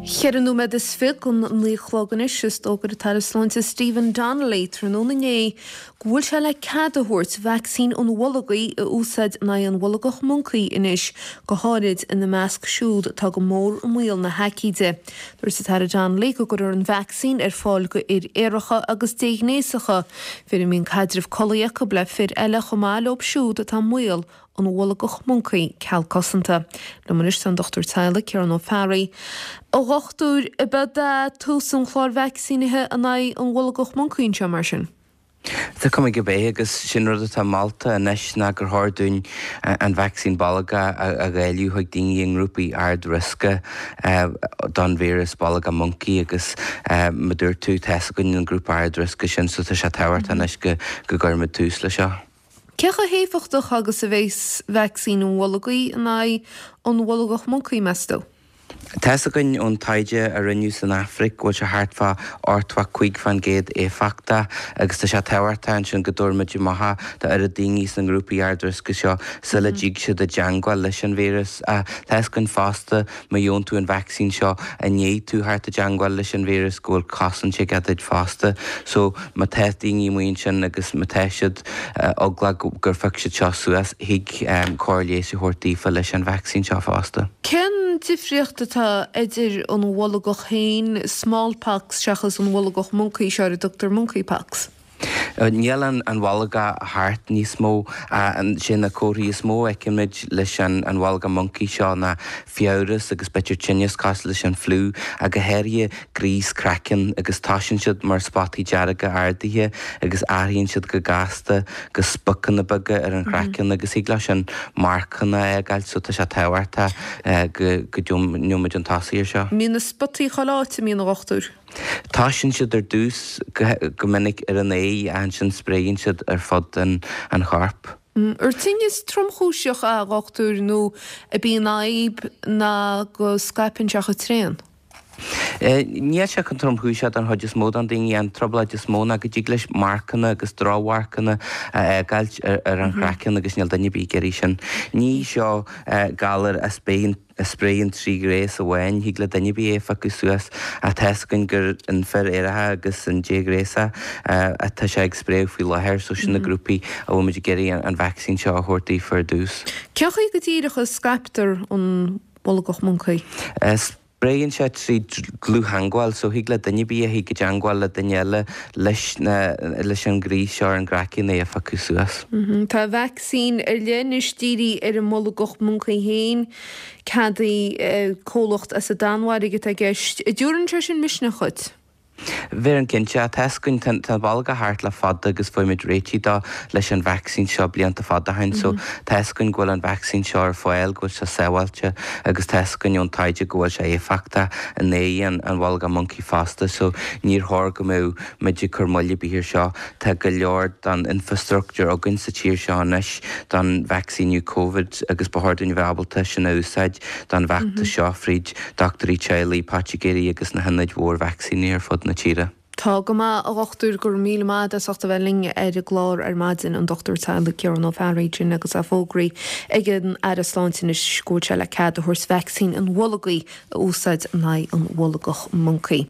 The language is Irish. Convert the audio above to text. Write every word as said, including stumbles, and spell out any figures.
Ceithre nóiméad is fiche don naoi a chlog anois is d'fhógair an tAire Sláinte Stephen Donnelly tráthnóna inné go bhfuil sé le cead a thabhairt vacsaín an bholgaigh a úsáid in aghaidh an bholgach moncaí anois go háirid ina measc siúd atá go mór i mbaol na haicíde. Dúirt an tAire Donnelly go gcuirfear an vacsaín ar fáil go fhir aeracha agus déghnéasacha, fir a mbíonn caidreamh collaí acu le fir eile chomh maith leo siúd atá i mbaol an bholgach moncaí ceal cosanta. Liom anois tá an Dochtúir Teaghlaigh Ciarán Ó Fearraigh. A dhochtúir, ab é tús an chláir vacsaínithe in aghaidh an bholgach moncaí anseo mar sin. Tá cuma gurb é agus sin rud atá molta anois ná gur chóir dúinn an vacsaín bolgach a dháileadh chuig daoine i ngrúpaí ard-riosca don víreas bolgach moncaí agus mar dúirt tú tá a fhios againn an grúpa ard-riosca sin so tá sé tábhachtach anois go go gcuirfimid tús le seo. Cé chomh héifeachtach agus a bheas vacsaín an bholgaigh in aghaidh an bholgach moncaí meas tú? Tá a fhios againn ón taighde a rinneadh san Afraic go bhfuil sé thart fá ochtó cúig faoin gcéad éifeachtach agus tá sé tábhachtach ansin go dtabharfaimid amach do oiread daoine sna grúpaí ard-riosca seo sula dtig siad i dteangmháil leis an víreas. Tá a fhios againn fosta má gheobhann tú an vacsaín seo i ndiaidh tú theacht i dteangmháil leis an víreas go bhfuil cosaint aige duit fosta. So má tá daoine amuigh ansin agus má tá siad eaglach gur phioc siad seo suas thig cóir leighis a thabhairt daofa leis an vacsaín seo fosta. Cén difríocht atá idir an bholgach féin smallpox seachas an bholgach moncaí seo ar a dtugtar monkeypox? Níl an an bholgach thart níos mó sé na comharthaí is mó a fheicimid leis an an bholgach moncaí seo ná fiabhras agus b'fhéidir tinneas cosúil leis an fliú ach go háirithe gríos craicinn agus toisíonn siad mar spotaí dearga ardaithe agus athraíonn siad go gasta go spocanna beaga ar an chraiceann agus thig leis sin marcanna a fhágáil so tá sé tábhachtach go go ndéanfaimid an tosaí ar seo. Mbíonn na spotaí chuile áit a mbíonn a dhochtúir. Toisíonn siad ar dtús go minic ar an aghaidh ansin spréann siad ar fud an an choirp. Ar tinneas tromchúiseach a dhochtúir nó ab í an fhadhb ná go scaipeann sé chomh tréan. Níl sé chomh tromchúiseach don chuid is mó den daoine an trioblóid is mó ná go dtig leis marcanna agus drochmharcanna a fhágáilt ar an chraiceann agus níl duine ar bith ag iarraidh sin. Ní seo galar a spéann a spréann trí ghnéas amháin, thig le duine ar bith é a phiocadh suas ach tá a fhios againn gur an fir aeracha agus an déghnéasach atá sé ag spréadh faoi láthair, so sin na grúpaí a bhfuil muid ag iarraidh an vacsaín seo a thabhairt daofa ar dtús. Cén chaoi go díreach a scaiptear an bolgach moncaí? Spréann sé trí dlúth-theangmháil, so thig le duine ar bith a thig i dteangmháil le duine eile leis na leis an ghríos seo ar an gcraiceann é a phiocadh suas. Tá vacsaín ar leith anois dírithe ar an mbolgach moncaí féin, ceadaithe comhlacht as an Danmhairg atá i gceist. An dtabharann sé sin misneach dhuit? Bheireann cinnte, tá a fhios againn tá an bolgach thart le fada agus fuair muid réitigh dó leis an vacsaín seo blianta fada ó shin so tá a fhios againn go bhfuil an vacsaín seo ar fáil, go bhfuil sé sábháilte agus tá a fhios againn ón taighde go bhfuil sé éifeachtach in aghaidh an an bholgach moncaí fosta so níor chóir go mbeadh muid ag cur moill ar bith ar seo. Tá go leor den infrastructure againn sa tír seo anois don vacsaíniú Covid agus ba chóir dúinn a bheith ábalta sin a úsáid don bhfeachtas seo fríd dochtúirí teaghlaigh, poitigéirí agus na hionaid mhór vacsaíní ar fud na tíre. Tá go maith a dhochtúir go raibh míle maith agat as ucht a bheith linn ar an gclár ar maidin an Dochtúir Teaghlaigh Ciarán Ó Fearraigh sin agus é fógraithe ag an Aire Sláinte anois go bhfuil sé le cead a thabhairt vacsaín an bholgaigh a úsáid in aghaidh an bholgach moncaí.